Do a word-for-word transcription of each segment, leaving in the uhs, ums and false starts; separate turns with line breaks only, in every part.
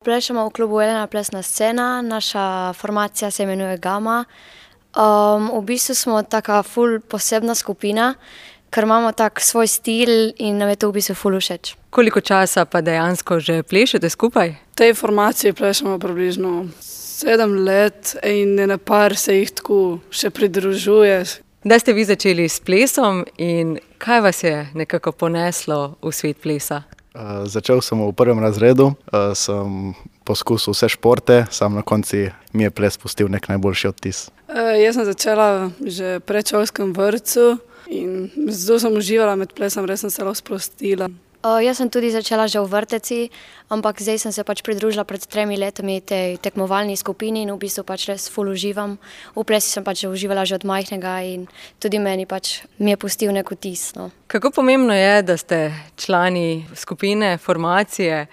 Plešemo v klubu Elena plesna scena, naša formacija se imenuje Gama. Um, v bistvu smo taka ful posebna skupina, ker imamo tak svoj stil in nam je to v bistvu ful všeč.
Koliko časa pa dejansko že plešete skupaj?
V tej formaciji plešemo približno sedem let in ene par se jih tako še pridružuje.
Kdaj ste vi začeli s plesom in kaj vas je nekako poneslo v svet plesa?
Uh, začel sem v prvem razredu, uh, sem poskusil vse športe, sam na konci mi je ples pustil nek najboljši odtis.
Uh, jaz sem začela že v predšolskem vrtcu in zelo sem uživala med plesom, res sem se lahko sprostila.
Uh, jaz sem tudi začela že v vrteci, ampak zdaj sem se pač pridružila pred tremi letami tej tekmovalni skupini in v bistvu pač res ful uživam. V plesi sem pač uživala že od majhnega in tudi meni pač mi je pustil nek vtis. No.
Kako pomembno je, da ste člani skupine, formacije,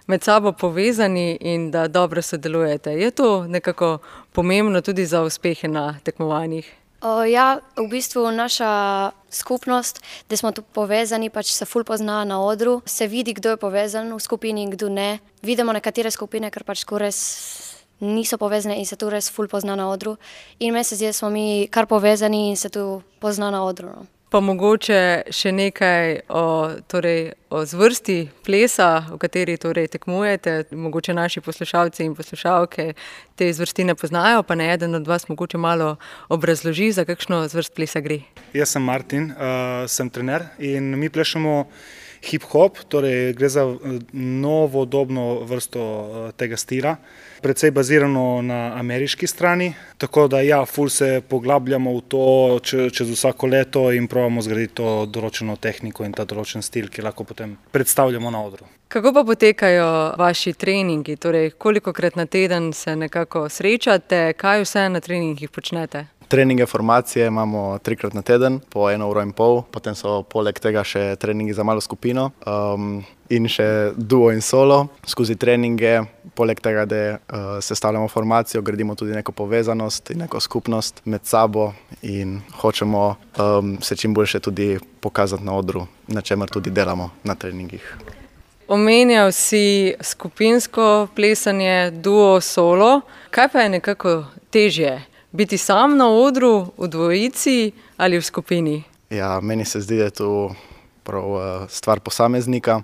med sabo povezani in da dobro sodelujete? Je to nekako pomembno tudi za uspehe na tekmovanjih?
Uh, ja, v bistvu naša skupnost, da smo tu povezani, pač se ful pozna na odru, se vidi, kdo je povezan v skupini in kdo ne. Vidimo nekatere skupine, ker pač res niso povezane in se tu res ful pozna na odru. In meni se zdi, da smo mi kar povezani in se tu pozna na odru. No.
Pa mogoče še nekaj o, torej, o zvrsti plesa, v kateri torej tekmujete. Mogoče naši poslušalci in poslušalke te zvrsti ne poznajo, pa ne eden od vas mogoče malo obrazloži, za kakšno zvrst plesa gre.
Jaz sem Martin, uh, sem trener in mi plešemo hip-hop, torej gre za novodobno vrsto tega stila, precej bazirano na ameriški strani, tako da ja, ful se poglabljamo v to čez vsako leto in probamo zgraditi to določeno tehniko in ta določen stil, ki lahko potem predstavljamo na odru.
Kako pa potekajo vaši treningi? Torej, kolikokrat na teden se nekako srečate, kaj vse na treningih počnete?
Treninge formacije imamo trikrat na teden, po eno uro in pol, potem so poleg tega še treningi za malo skupino um, in še duo in solo. Skozi treninge, poleg tega, da uh, sestavljamo formacijo, gradimo tudi neko povezanost in neko skupnost med sabo in hočemo um, se čim boljše tudi pokazati na odru, na čemer tudi delamo na treningih.
Omenjal si skupinsko plesanje, duo, solo. Kaj pa je nekako težje? Biti sam na odru, v dvojici ali v skupini?
Ja, meni se zdi, da je to prav stvar posameznika.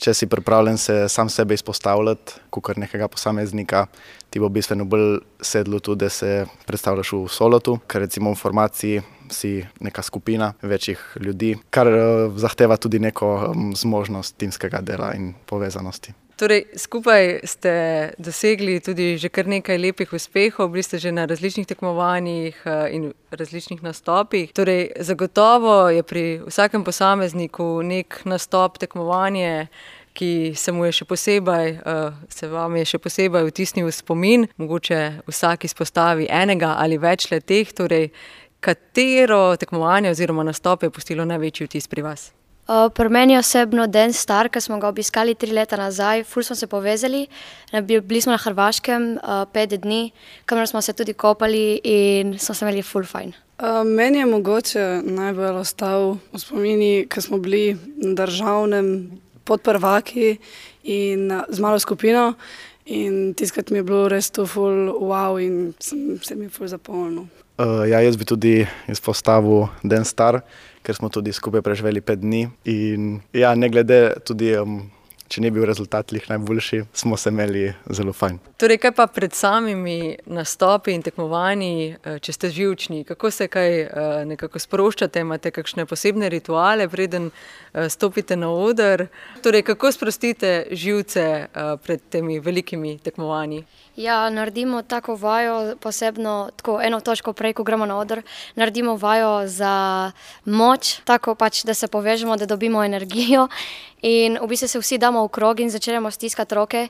Če si pripravljen se sam sebe izpostavljati, kakor nekega posameznika, ti bo bistveno bolj sedlo tudi, da se predstavljaš v solotu, ker recimo v formaciji si neka skupina večjih ljudi, kar zahteva tudi neko zmožnost timskega dela in povezanosti.
Torej, skupaj ste dosegli tudi že kar nekaj lepih uspehov, bili ste že na različnih tekmovanjih in različnih nastopih. Torej, zagotovo je pri vsakem posamezniku nek nastop, tekmovanje, ki se mu je še posebej, se vam je še posebej vtisnil v spomin. Mogoče vsak izpostavi enega ali več let teh. Torej, katero tekmovanje oziroma nastop je pustilo največji vtis pri vas?
Uh, pri meni osebno Dance Star, ki smo ga obiskali tri leta nazaj, ful smo se povezali, bili smo na Hrvaškem uh, pet dni, kamor smo se tudi kopali in smo se imeli ful fajn.
Uh, meni je mogoče najbolj ostal v spomini, ker smo bili na državnem pod prvaki in uh, z malo skupino in tiskrat mi je bilo res to ful wow in sem, se mi je ful zapomnil.
Uh, ja, jaz bi tudi izpostavil Dance Star, ker smo tudi skupaj preživeli pet dni in ja, ne glede tudi, um, če ni bil rezultat lih najboljši, smo se imeli zelo fajn.
Torej, kaj pa pred samimi nastopi in tekmovanji, če ste živčni, kako se kaj nekako sproščate, imate kakšne posebne rituale, preden stopite na oder? Torej, kako sprostite živce pred temi velikimi tekmovanji?
Ja, naredimo tako vajo, posebno tako eno točko prej, ko gremo na oder, naredimo vajo za moč, tako pač, da se povežemo, da dobimo energijo in v bistvu se vsi damo v krog in začnemo stiskati roke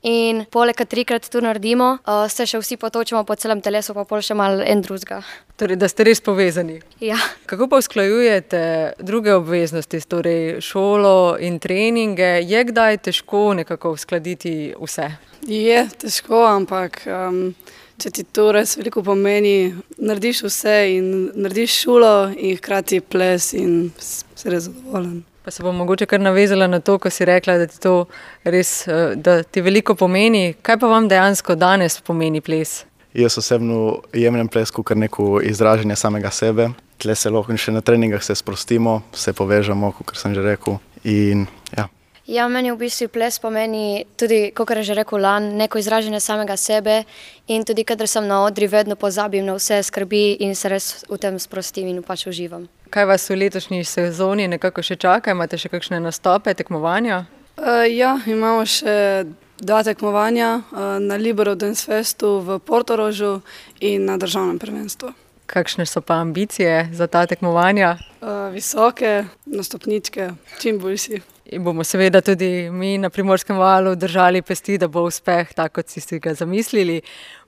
in poleg trikrat tu naredimo, se še vsi potočimo po celem telesu, pa pol še malo en drugega.
Torej, da ste res povezani.
Ja.
Kako pa usklajujete druge obveznosti, torej šolo in treninge? Je kdaj težko nekako uskladiti vse?
Je težko, ampak um, če ti to res veliko pomeni, narediš vse in narediš šolo in hkrati ples in si res zadovoljen.
Pa se bom mogoče kar navezala na to, ko si rekla, da ti to res, da ti veliko pomeni. Kaj pa vam dejansko danes pomeni ples?
Jaz osebno jemljem ples kot neko izražanje samega sebe. Tle se lahko še na treningah se sprostimo, se povežemo, kot sem že rekel. In, ja.
Ja, meni v bistvu ples pomeni tudi, kot je že rekel Lan, neko izražanje samega sebe in tudi, kadar sem na odri, vedno pozabim na vse skrbi in se res v tem sprostim in pač uživam.
Kaj vas v letošnji sezoni nekako še čaka? Imate še kakšne nastope, tekmovanja?
Uh, ja, imamo še dva tekmovanja uh, na Libero Dance Festu v Portorožu in na državnem prvenstvu.
Kakšne so pa ambicije za ta tekmovanja?
Uh, visoke, na stopničke, čim bolj si.
In bomo seveda tudi mi na Primorskem valu držali pesti, da bo uspeh tako, kot si si ga zamislili.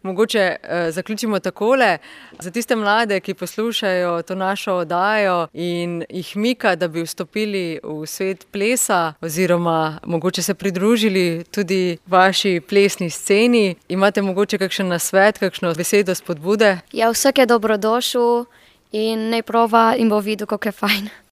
Mogoče eh, zaključimo takole. Za tiste mlade, ki poslušajo to našo oddajo in jih mika, da bi vstopili v svet plesa oziroma mogoče se pridružili tudi vaši plesni sceni, imate mogoče kakšen nasvet, kakšno besedo spodbude?
Ja, vsak je dobrodošel in naj prova in bo videl, kako je fajn.